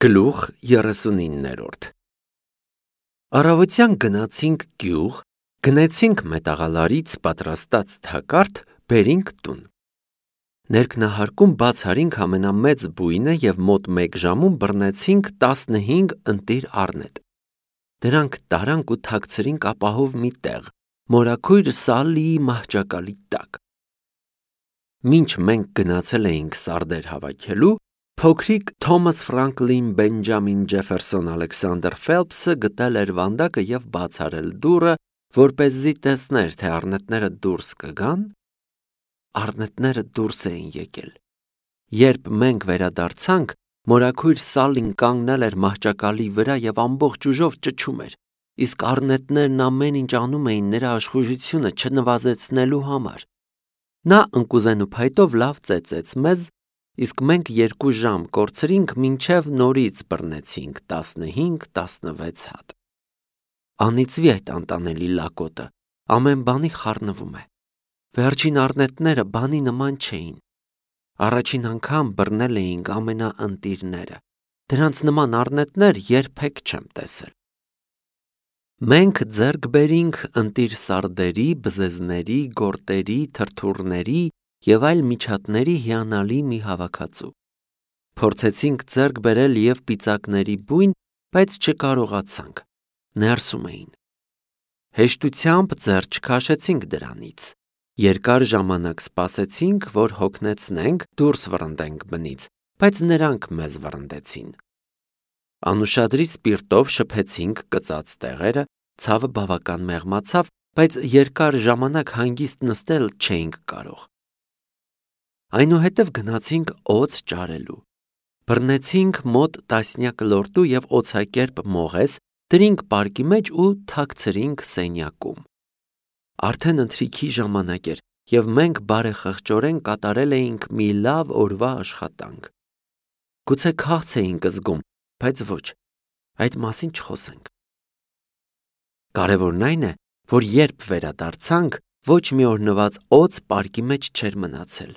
Գլուխ 39-րդ Առավոտյան գնացինք գյուղ, գնեցինք մետաղալարից պատրաստած թակարդ, բերինք տուն։ Ներքնահարկում բաց արինք ամենամեծ բույնը և մոտ 1 ժամում բռնեցինք 15 ընտիր առնետ։ Դրանք տարանք ու թաքցրինք ապահով մի տեղ, մորաքույր Սալլիի մահճակալի տակ։ Մինչ մենք գնացել էինք սարդեր հավաքելու, փոքրիկ Թոմաս Ֆրանկլին Բենջամին Ջեֆերսոն Ալեքսանդր Ֆելփսը գտել էր վանդակը և բաց արել դուռը, որպեսզի տեսներ, թե առնետները դուրս կգան։ Առնետները դուրս էին եկել։ Երբ մենք վերադարձանք, մորաքույր Սալլին կանգնել էր մահճակալի վրա և ամբողջ ուժով ճչում էր, իսկ առնետներն ամեն ինչ անում էին նրա աշխուժությունը չնվազեցնելու համար։ Նա ընկուզեն ու փայտով լավ ծեծեց մեզ, իսկ մենք 2 ժամ կորցրինք, մինչև նորից բռնեցինք 15-16 հատ։ Անիծվի այդ անտանելի լակոտը, ամեն բանի խառնվում է։ Վերջին առնետները բանի նման չէին։ Առաջին անգամ բռնել էինք ամենաընտիրները։ Դրանց նման առնետներ երբեք չեմ տեսել։ Մենք ձեռք բերինք ընտիր սարդերի, բզեզների, գորտերի, թրթուրների և այլ միջատների հիանալի մի հավաքածու։ Փորձեցինք ձեռք բերել և պիծակների բույն, բայց չկարողացանք, ներսում էին։ Հեշտությամբ ձեռ չքաշեցինք դրանից։ Երկար ժամանակ սպասեցինք, որ հոգնեցնենք, դուրս վռնդենք բնից, բայց նրանք մեզ վռնդեցին։ Անուշադրի սպիրտով շփեցինք կծած տեղերը, ցավը բավական մեղմացավ, բայց երկար ժամանակ հանգիստ նստել չէինք կարող։ Այնուհետև գնացինք օձ ճարելու։ Բռնեցինք մոտ 10 լորտու և օձակերպ մողես, դրինք պարկի մեջ ու թաքցրինք սենյակում։ Արդեն ընթրիքի ժամանակ էր, և մենք բարեխղճորեն կատարել էինք մի լավ օրվա աշխատանք։ Գուցե քաղց էինք զգում, բայց ոչ, այդ մասին չխոսենք։ Կարևորն այն է, որ երբ վերադարձանք, ոչ մի օրնված օձ պարկի մեջ չէր մնացել։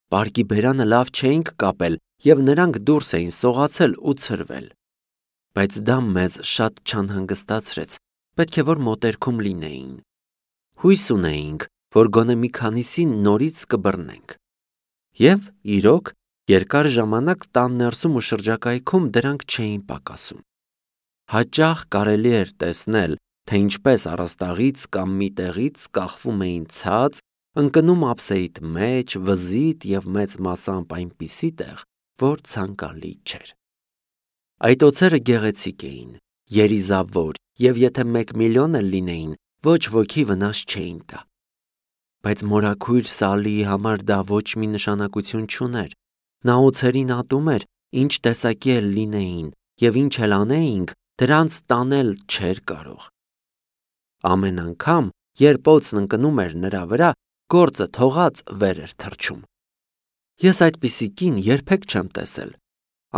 Պարկի բերանը լավ չէինք կապել, և նրանք դուրս էին սողացել ու ցրվել։ Բայց դա մեզ շատ չանհանգստացրեց, պետք է որ մոտերքում լինեին։ Հույս ունեինք, որ գոնե մի քանիսին նորից կբռնենք։ Եվ, իրոք, երկար ժամանակ տան ներսում ու շրջակայքում դրանք չէին պակասում։ Հաճախ կարելի էր տեսնել, թե ինչպես առաստաղից կամ մի տեղից կախվում էին ցած, ընկնում ափսեիդ մեջ, վզիտ և մեծ մասամբ այնպիսի տեղ, որ ցանկալի չէր։ Այդ օձերը գեղեցիկ էին, երիզավոր, և եթե 1 միլիոն էլ լինեին, ոչ ոքի վնաս չէին տա։ Բայց մորաքույր Սալլիի համար դա ոչ մի նշանակություն չուներ։ Նա օձերին ատում էր, ինչ տեսակի էլ լինեին, և ինչ էլ անեինք, դրանց տանել չէր կարող։ Ամեն անգամ, երբ օձն ընկնում էր նրա վրա, գործը թողած վեր էր թռչում։ Ես այդպիսի կին երբեք չեմ տեսել։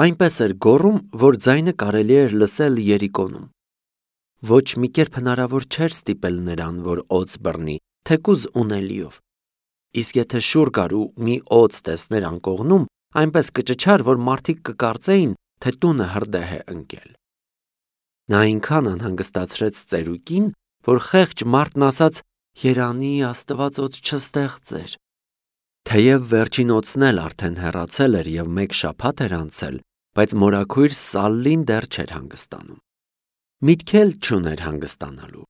Այնպես էր գոռում, որ ձայնը կարելի էր լսել երիկոնում։ Ոչ մի կերպ հնարավոր չէր ստիպել նրան, որ օձ բռնի, թեկուզ ունելիով։ Իսկ եթե շուռ գար ու մի օձ տեսներ անկողնում, այնպես կճչար, որ մարդիկ կկարծեին, թե տունը հրդեհ է ընկել։ Նա այնքան անհանգստացրեց ծերուկին, որ խեղճ մարդն ասաց. «Երանի Աստված օձ չստեղծեր»։ Թեև վերջին օձն էլ արդեն հեռացել էր և 1 շաբաթ էր անցել, բայց մորաքույր Սալլին դեռ չէր հանգստանում։ Միտք էլ չուներ հանգստանալու։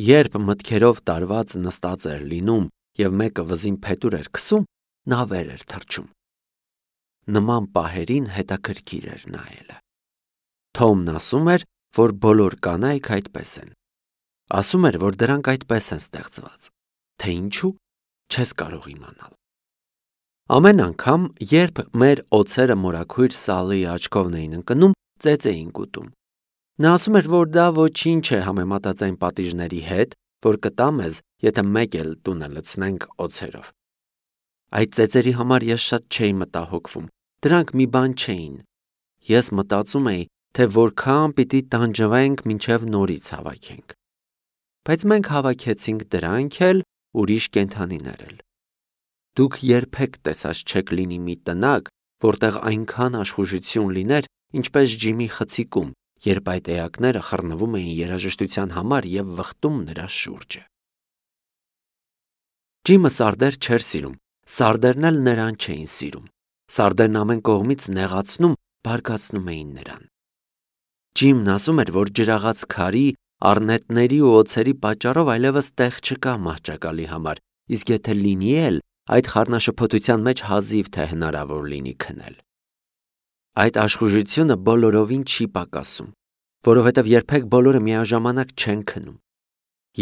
Երբ մտքերով տարված նստած էր լինում և մեկը վզին փետուր էր քսում, նա վեր էր թռչում։ Նման պահերին հետաքրքիր էր նայելը։ Թոմն ասում էր, որ բոլոր կանայք այդպես են։ Ասում էր, որ դրանք այդպես են ստեղծված։ Թե ինչու, չես կարող իմանալ։ Ամեն անգամ, երբ մեր օձերը մորաքույր Սալլիի աչքովն էին ընկնում, ծեծ էինք ուտում։ Նա ասում էր, որ դա ոչինչ է համեմատած այն պատիժների հետ, որ կտա մեզ, եթե մեկ էլ տունը լցնենք օձերով։ Այդ ծեծերի համար ես շատ չէի մտահոգվում, դրանք մի բան չէին։ Ես մտածում էի, թե որքան պիտի տանջվենք, մինչև նորից հավաքենք։ Բայց մենք հավաքեցինք դրանք էլ, ուրիշ կենդանիներ էլ։ Դուք երբեք տեսած չեք լինի մի տնակ, որտեղ այնքան աշխուժություն լիներ ինչպես Ջիմի խցիկում, երբ այդ էակները խռնվում էին երաժշտության համար և վխտում նրա շուրջը։ Ջիմը սարդեր չէր սիրում, սարդերն էլ նրան չէին սիրում։ Սարդերն ամեն կողմից նեղացնում, բարկացնում էին նրան։ Ջիմն ասում էր, որ ջրաղաց քարի, առնետների ու օձերի պատճառով այլևս տեղ չկա մահճակալի համար, իսկ եթե լինի էլ, այդ խառնաշփոթության մեջ հազիվ թե հնարավոր լինի քնել։ Այդ աշխուժությունը բոլորովին չի պակասում, որովհետև երբեք բոլորը միաժամանակ չեն քնում։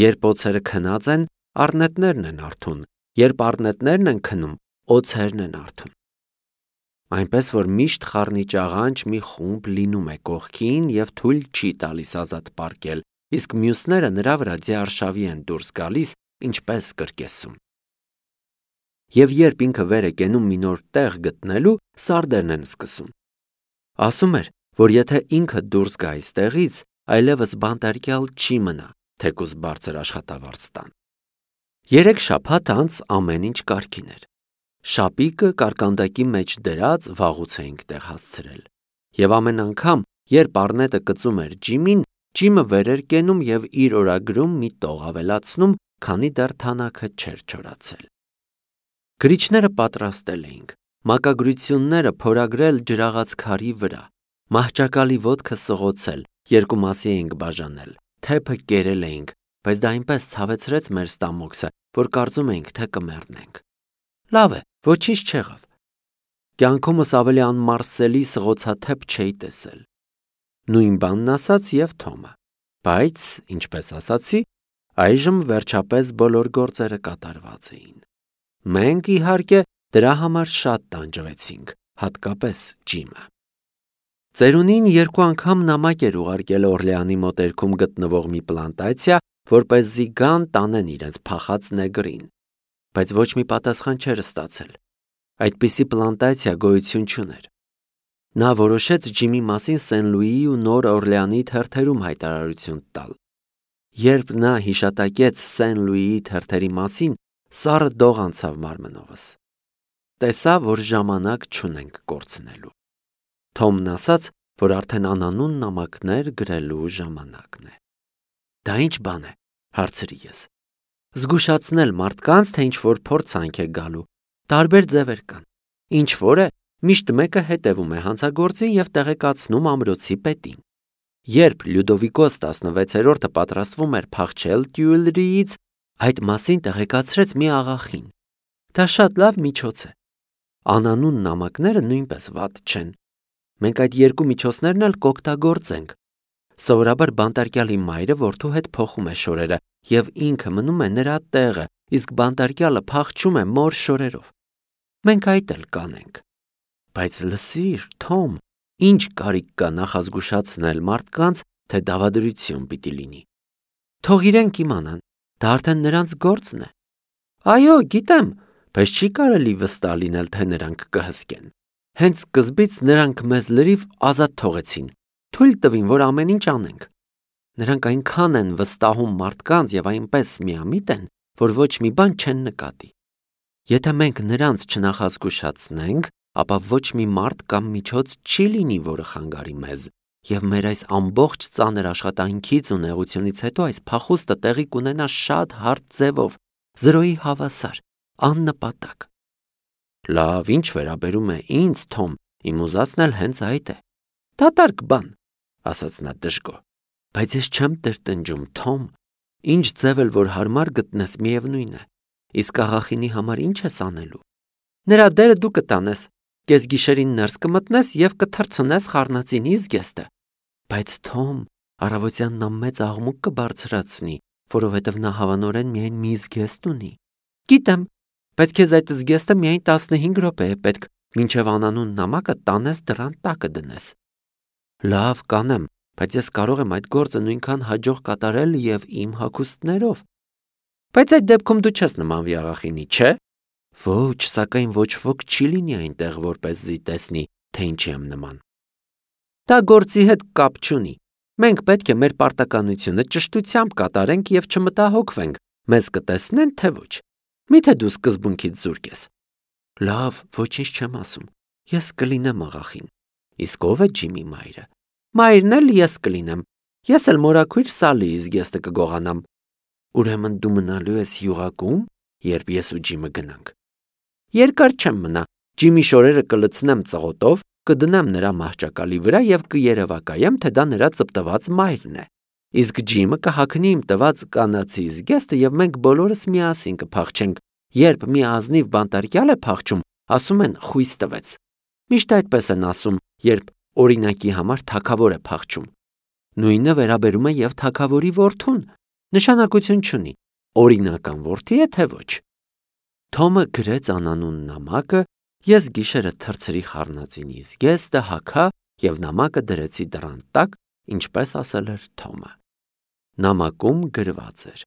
Երբ օձերը քնած են, առնետներն են արթուն, երբ առնետներն են քնում, օձերն են արթուն։ Այնպես որ միշտ խառնիչ աղանջ մի խումբ լինում է կողքին և թույլ չի տալիս ազատ պառկել, իսկ մյուսները նրա վրա ձիարշավի են դուրս գալիս, ինչպես կրկեսում։ Եվ երբ ինքը վեր է կենում մի նոր տեղ գտնելու, սարդերն են սկսում։ Ասում էր, որ եթե ինքը դուրս գա այստեղից, այլևս բանտարկյալ չի մնա, թեկուզ բարձր աշխատավարձ տան։ 3 շաբաթ անց ամեն ինչ կարգին էր։ Շապիկը կարկանդակի մեջ դրած վաղուց էինք տեղ հասցրել։ Եվ ամեն անգամ, երբ առնետը կծում էր Ջիմին, Ջիմը վեր էր կենում և իր օրագրում մի տող ավելացնում, քանի դեռ թանակը չէր չորացել։ Գրիչները պատրաստել էինք, մակագրությունները փորագրել ջրաղաց քարի վրա, մահճակալի ոտքը սղոցել, 2 մասի էինք բաժանել, թեփը կերել էինք, բայց դա այնպես ցավեցրեց մեր ստամոքսը, որ կարծում էինք, թե կմեռնենք։ Լավ է, ոչինչ չեղավ։ Կյանքումս ավելի անմարսելի սղոցաթեփ չէի տեսել։ Նույն բանն ասաց և Թոմը։ Բայց, ինչպես ասացի, այժմ վերջապես բոլոր գործերը կատարված էին։ Մենք, իհարկե, դրա համար շատ տանջվեցինք, հատկապես Ջիմը։ Ծերունին 2 անգամ նամակ էր ուղարկել Օրլեանի մոտերքում գտնվող մի պլանտացիա, որպեսզի գան տանեն իրենց փախած նեգրին, բայց ոչ մի պատասխան չէր ստացել։ Այդպիսի պլանտացիա գոյություն չուներ։ Նա որոշեց Ջիմի մասին Սեն Լուիի ու Նոր Օրլեանի թերթերում հայտարարություն տալ։ Երբ նա հիշատակեց Սեն Լուիի թերթերի մասին, սառը դող անցավ մարմնովս։ Տեսա, որ ժամանակ չունենք կորցնելու։ Թոմն ասաց, որ արդեն անանուն նամակներ գրելու ժամանակն է։ Դա ինչ բան է, հարցրի ես։ Զգուշացնել մարդկանց, թե ինչ-որ փորձանք է գալու, տարբեր ձևեր կան։ Ինչ-որ է, միշտ մեկը հետևում է հանցագործին և տեղեկացնում ամրոցի պետին։ Երբ Լյուդովիկոս 16-րդը պատրաստվում էր փախչել Տյուիլրիից, այդ մասին տեղեկացրեց մի աղախին։ Դա շատ լավ միջոց է։ Անանուն նամակները նույնպես վատ չեն։ Մենք այդ 2 միջոցներն էլ կօգտագործենք։ Սովորաբար բանտարկյալի մայրը որդու հետ փոխում է շորերը և ինքը մնում է նրա տեղը, իսկ բանտարկյալը փախչում է մոր շորերով։ Մենք այդ էլ կանենք։ Բայց լսիր, Թոմ, ինչ կարիք կա նախազգուշացնել մարդկանց, թե դավադրություն պիտի լինի։ Թող իրենք իմանան, դա արդեն նրանց գործն է։ Այո, գիտեմ, բայց չի կարելի վստահ լինել, թե նրանք կհսկեն։ Հենց սկզբից նրանք մեզ լրիվ ազատ թողեցին, թույլ տվին, որ ամեն ինչ անենք։ Նրանք այնքան են վստահում մարդկանց և այնպես միամիտ են, որ ոչ մի բան չեն նկատի։ Եթե մենք նրանց չնախազգուշացնենք, ապա ոչ մի մարդ կամ միջոց չի լինի, որը խանգարի մեզ, և մեր այս ամբողջ ծանր աշխատանքից ու նեղությունից հետո այս փախուստը տեղի կունենա շատ հարթ ձևով, զրոյի հավասար, աննպատակ։ Լավ, ինչ վերաբերում է ինձ, Թոմ, իմ ուզածն էլ հենց այդ է։ Դատարկ բան, ասաց նա դժգոհ, բայց ես չեմ տրտնջում, Թոմ, ինչ ձև էլ որ հարմար գտնես, միևնույն է, իսկ աղախինի համար ինչ ես անելու։ Նրա դերը դու կտանես, կեսգիշերին ներս կմտնես և կթռցնես խառնածինի զգեստը։ Բայց Թոմ, առավոտյան նա մեծ աղմուկ կբարձրացնի, որովհետև նա հավանորեն միայն մի զգեստ ունի։ Գիտեմ, բայց քեզ այդ զգեստը միայն 15 րոպե է պետք, մինչև անանուն նամակը տանես դռան տակը դնես։ Լավ, կանեմ, բայց ես կարող եմ այդ գործը նույնքան հաջող կատարել և իմ հագուստներով։ Բայց այդ դեպքում դու չես նմանվի աղախինի, չէ՞։ Ոչ, սակայն ոչ ոք չի լինի այնտեղ, որպեսզի տեսնի, թե ինչի եմ նման։ Դա գործի հետ կապ չունի։ Մենք պետք է մեր պարտականությունը ճշտությամբ կատարենք և չմտահոգվենք, մեզ կտեսնեն, թե ոչ։ Միթե դու սկզբունքից զուրկ ես։ Լավ, ոչինչ չեմ ասում։ Ես կլինեմ աղախին։ Իսկ ով է Ջիմի մայրը։ Մայրն էլ ես կլինեմ։ Ես էլ մորաքույր Սալի զգեստը կգողանամ։ Ուրեմն դու մնալու ես յուղակում, երբ ես ու Ջիմը գնանք։ Երկար չեմ մնա։ Ջիմի շորերը կլցնեմ ծղոտով, կդնեմ նրա մահճակալի վրա եւ կերևակայեմ, թե դա նրա ծպտված մայրն է։ Իսկ Ջիմը կհագնի իմ տված կանացի զգեստը եւ մենք բոլորս միասին կփախչենք։ Երբ մի ազնիվ բանտարկյալ է փախչում, ասում են խույս տվեց։ Միշտ այդպես են ասում, երբ օրինակի համար թագավոր է փախչում։ Նույնը վերաբերում է եւ թագավորի որդուն։ Նշանակություն չունի, օրինական որդի է թե ոչ։ Թոմը գրեց անանուն նամակը, ես գիշերը թրցրի խառնածինի զգեստը հագա եւ նամակը դրեցի դռան տակ, ինչպես ասել էր Թոմը։ Նամակում գրված էր.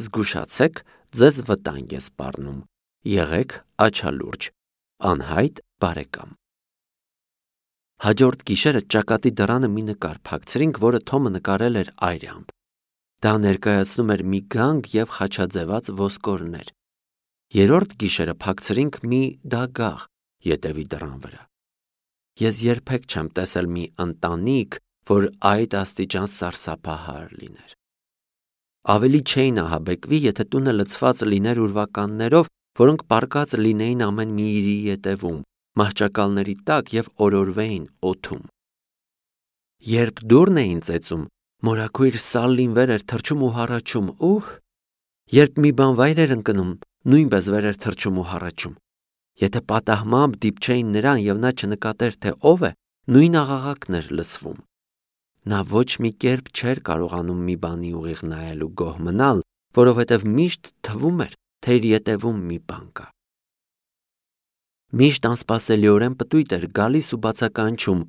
Զգուշացեք, ձեզ վտանգ է սպառնում։ Եղեք աչալուրջ, անհայտ բարեկամ։ Հաջորդ գիշերը ճակատի դռանը մի նկար փակցրինք, որը Թոմը նկարել էր այրամբ։ Դա ներկայացնում էր մի գանգ եւ խաչաձևած ոսկորներ։ Երրորդ գիշերը փակցրինք մի դագաղ ետևի դռան վրա։ Ես երբեք չեմ տեսել մի ընտանիք, որ այդ աստիճան սարսափահար լիներ։ Ավելի չէին ահաբեկվի, եթե տունը լցված լիներ ուրվականներով, որոնք պառկած լինեին ամեն մի իրի ետևում, մահճակալների տակ եւ օրորվեին օդում։ Երբ դուռն էին ծեծում, մորաքույր Սալլին վեր էր թռչում ու հառաչում, երբ մի բան վայր էր ընկնում, նույնպես վեր էր թռչում ու հառաչում։ Եթե պատահմամբ դիպչեին նրան եւ նա չնկատեր, թե ով է, նույն աղաղակն էր լսվում։ Նա ոչ մի կերպ չէր կարողանում մի բանի ուղիղ նայել ու գոհ մնալ, որովհետև միշտ թվում էր, թե իր ետևում մի բան կա։ Միշտ անսպասելիորեն պտույտ էր գալիս ու բացականչում,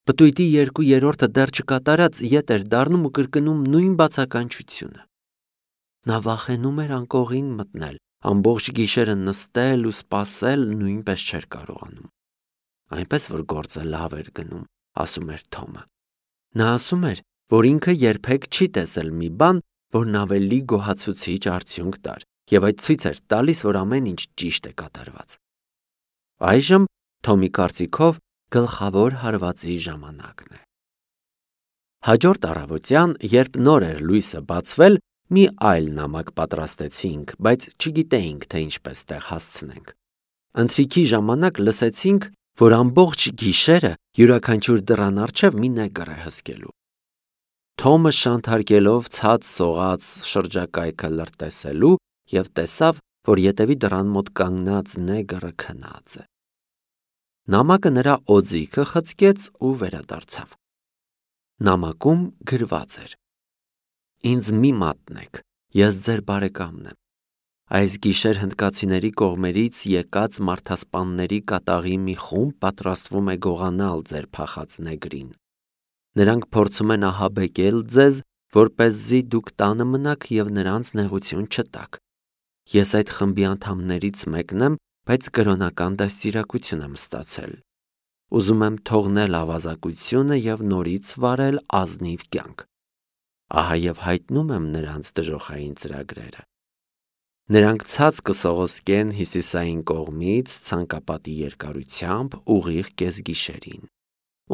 պտույտի 2/3-ը դեռ չկատարած ետ էր դառնում ու կրկնում նույն բացականչությունը։ Նա վախենում էր անկողին մտնել, ամբողջ գիշերը նստել ու սպասել նույնպես չէր կարողանում։ Այնպես որ գործը լավ էր գնում, ասում էր Թոմը։ Նա ասում էր, որ ինքը երբեք չի տեսել մի բան, որն ավելի գոհացուցիչ արդյունք տար, եւ այդ ցույց էր տալիս, որ ամեն ինչ ճիշտ է կատարված։ Այժմ Թոմի կարծիքով գլխավոր հարվածի ժամանակն է։ Հաջորդ առավոտյան, երբ նոր էր լույսը բացվել, մի այլ նամակ պատրաստեցինք, բայց չգիտեինք, թե ինչպես տեղ հասցնենք։ Ընթրիքի ժամանակ լսեցինք, որ ամբողջ գիշերը յուրաքանչյուր դռան առջև մի նեգր է հսկելու։ Թոմը շանթարկելով ցած սողաց շրջակայքը լրտեսելու եւ տեսավ, որ ետևի դռան մոտ կանգնած նեգրը քնած է։ Նամակը նրա օձիքը խցկեց ու վերադարձավ։ Նամակում գրված էր. Ինձ մի մատնեք, ես ձեր բարեկամն եմ։ Այս գիշեր հնդկացիների կողմերից եկած մարդասպանների կատաղի մի խումբ պատրաստվում է գողանալ ձեր փախած նեգրին։ Նրանք փորձում են ահաբեկել ձեզ, որպեսզի դուք տանը մնաք եւ նրանց նեղություն չտաք։ Ես այդ խմբի անդամներից մեկն եմ, բայց կրոնական դաստիարակություն եմ ստացել։ Ուզում եմ թողնել ավազակությունը եւ նորից վարել ազնիվ կյանք։ Ահա եւ հայտնում եմ նրանց դժոխային ծրագրերը։ Նրանք ցած կսողոսկեն հյուսիսային կողմից ցանկապատի երկարությամբ ուղիղ կեսգիշերին։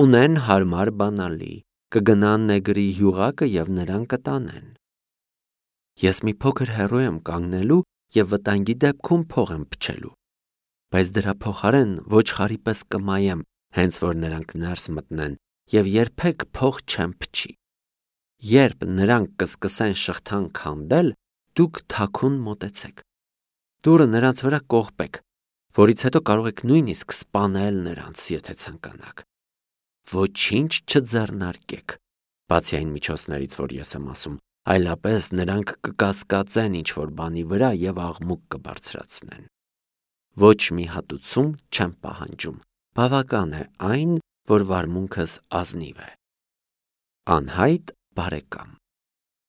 Ունեն հարմար բանալի, կգնան նեգրի յուղակը եւ նրան կտանեն։ Ես մի փոքր հեռու եմ կանգնելու եւ վտանգի դեպքում փող եմ փչելու, բայց դրա փոխարեն ոչխարի պես կմայեմ, հենց որ նրանք ներս մտնեն եւ երբեք փող չեմ փչի։ Երբ նրանք կսկսեն շղթան քանդել, դուք թաքուն մոտեցեք։ Դուռը նրանց վրա կողպեք, որից հետո կարող եք նույնիսկ սպանել նրանց, եթե ցանկանաք։ Ոչինչ չձեռնարկեք, բացի այն միջոցներից, որ ես եմ ասում, այլապես նրանք կկասկածեն ինչ-որ բանի վրա եւ աղմուկ կբարձրացնեն։ Ոչ մի հատուցում չեմ պահանջում, բավական է այն, որ վարմունքս ազնիվ է։ Անհայտ բարեկամ։